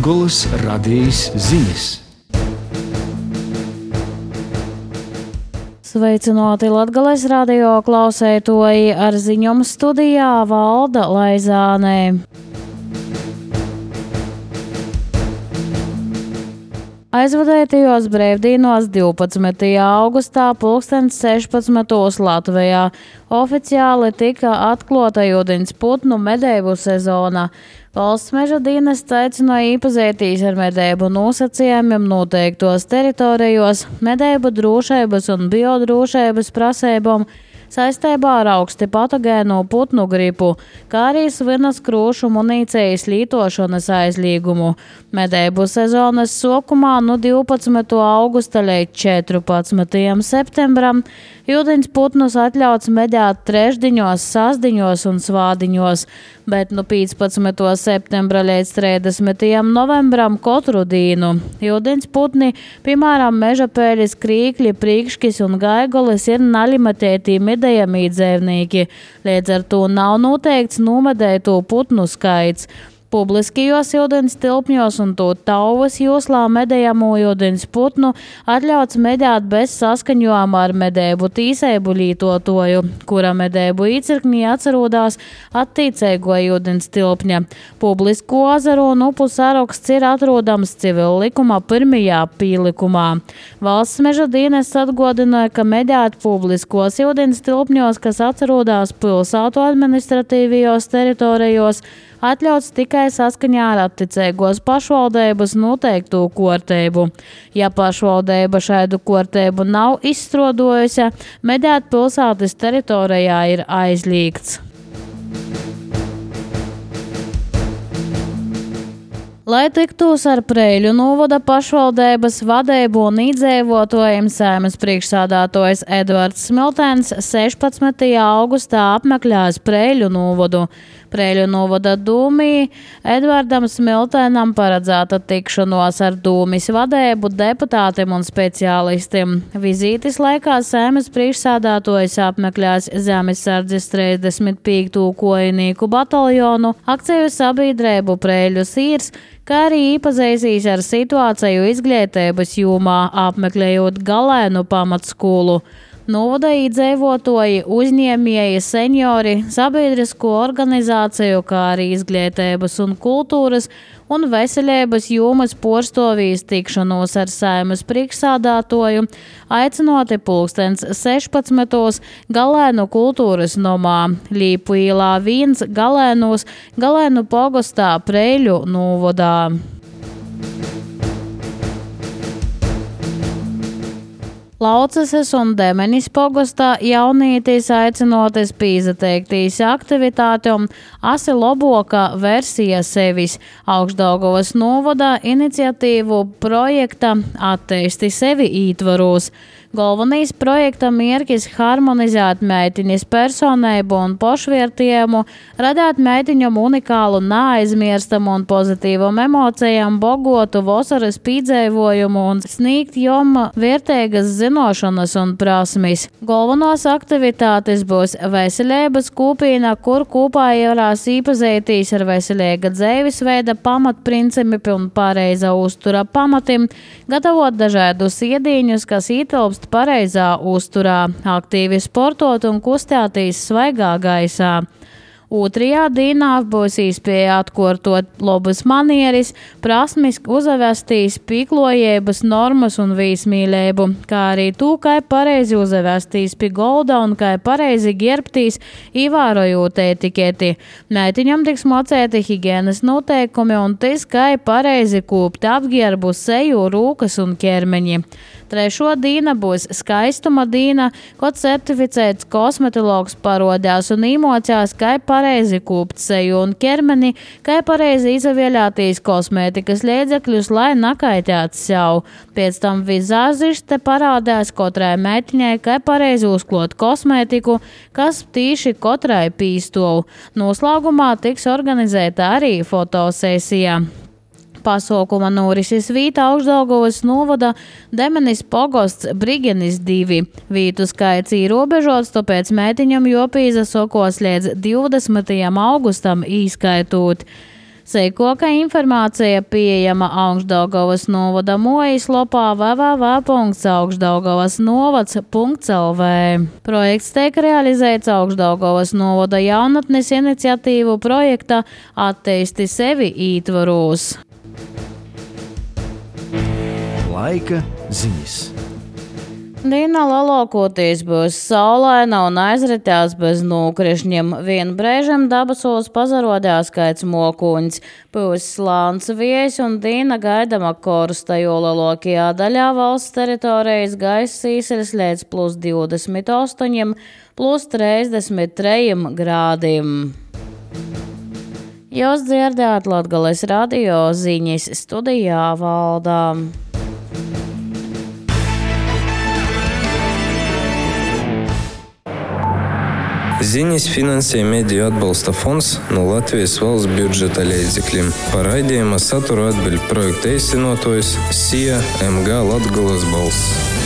Latgolas radījis ziņas. Sveicināti Latgales radio klausētoji, ar ziņām studijā Valda Laizānē. Aizvadētajos brīvdienos 12. augustā 16. Latvijā oficiāli tika atklāta ūdens putnu medību sezona. Valsts meža dienests aicināja iepazīties ar medību nosacījumiem noteiktos teritorijos, medību drošības un biodrošības prasībām saistībā ar augsti patogēno putnu gripu, kā arī svinas krūšu munīcijas lietošanas aizliegumu. Medību sezonas sākumā no 12. augusta līdz 14. septembram ūdens putnus atļauts medīt trešdiņos, sastdiņos un svādiņos, bet no 15. septembra līdz 30. novembram katru dienu. Ūdens putni, piemēram, mežapēļis, krīkļi, prīkškis un gaigolis, ir nalimitēti medējami dzīvnieki, līdz ar to nav noteikts nomedēto putnu skaits. Publiskajos ūdens tilpņos un to tauvas joslā medējamo ūdens putnu atļauts medēt bez saskaņojuma ar medību tīsību lietotoju, kura medību īcirknī atrodas attiecīgo ūdens tilpņa. Publisko ezeru un upu saraksts ir atrodams civil likuma 1. pīlikumā. Valsts meža dienests atgādināja, ka medēt publiskos ūdens tilpņos, kas atrodas pilsētu administratīvajos teritorijos, atļauts tikai saskaņā ar attiecīgos pašvaldības noteiktu kārtību. Ja pašvaldība šādu kārtību nav izstrādājusi, medēt pilsētas teritorijā ir aizliegts. Lai tiktos ar Preiļu novada pašvaldības vadību un iedzīvotājiem, Saeimas priekšsēdētājs Edvards Smiltēns 16. augustā apmeklēs Preiļu novadu. Preiļu novada dūmī Edvardam Smiltēnam paredzēta tikšanos ar dūmis vadību, deputātiem un speciālistiem. Vizītes laikā Saeimas priekšsēdētājs apmeklēs Zemesardzes 35. kojinīku bataljonu, akciju sabiedrību Preiļu Sīrs, kā arī iepazīstīs ar situāciju izglītības jomā, apmeklējot Galēnu pamatskolu. Novada iedzīvotāji, uzņēmēji, seniori, sabiedrisko organizāciju, kā arī izglītības un kultūras un veselības jomas pārstāvjus tikšanos ar Saeimas priekšsēdētāju, aicinoti 16. Galēnu kultūras nomā, Līpu ielā 1 Galēnos, Galēnu pogastā Preiļu novadā. Laucases un Demenis pogastā jaunītīs aicinoties pīzateikties aktivitātēm asi loboka versija sevis. Augšdaugavas novadā iniciatīvu projekta Atteisti sevi ītvaros. Galvenais projekta mērķis harmonizēt meitiņas personību un pašvērtējumu, radīt meitiņam unikālu, neaizmirstamu un pozitīvam emocijām bogotu vasaras piedzīvojumu un sniegt jom vērtīgas zinošanas un prasmes. Galvenās aktivitātes būs veselības kopīna, kur kopā varēs iepazīties ar veselīga dzīvesveida pamatprincipiem un pareiza uztura pamatiem, gatavot dažādus ēdienus, kas ietilpst pareizā uzturā, aktīvi sportot un kustēties svaigā gaisā. Otrajā dienā būs iespēja atkārtot labas manieres, prasmes, uzvestīs, pieklājības normas un viesmīlību, kā arī to, kā pareizi uzvestīs pie golda un kā pareizi ģērbtīs, ievērojot etiketi. Meitiņam tiks mocēti higienas noteikumi un tas, kā pareizi kūpt apģērbu, seju, rūkas un ķermeņi. Trešo diena būs skaistuma diena, kad certificēts kosmetologs parodās un īmocās, kā pareizi kūpt seju un ķermeni, kā pareizi izvēlēties kosmētikas līdzekļus, lai nakaitētu sev. Pēc tam vizāžiste parādās katrai meitiņai, kā pareizi uzklot kosmētiku, kas tīši katrai pīstov. Noslēgumā tiks organizēta arī fotosesija. Pasaukuma norises vīta Augšdaugavas novada Demenis pogosts Brigenis 2. Vītu skaits ierobežots, tāpēc meitiņam jopīza sokos līdz 20. augustam īskaitot. Seikoka informācija pieejama Augšdaugavas novada mājaslapā www.augšdaugavasnovads.lv. Projekts tiek realizēts Augšdaugavas novada jaunatnes iniciatīvu projekta Atteisti sevi ietvaros. Laika ziņas. Diena lielākoties būs saulaina un aizritās bez nokrišņiem. Vienu brēžam dabasos pazarodās kāds mokuņs. Būs slāns viejs un diena gaidama korsta, jo lielākajā daļā valsts teritorijas gaisa īseļas līdz +28, +33 grādiem. Jūs dzirdējāt Latgales radio ziņas, studijā Valdā. Ziņas finansē Mediju atbalsta fonds no Latvijas valsts budžeta līdzekļiem. Par raidījuma saturu atbild projekta īstenotājs SIA MG Latgales balss.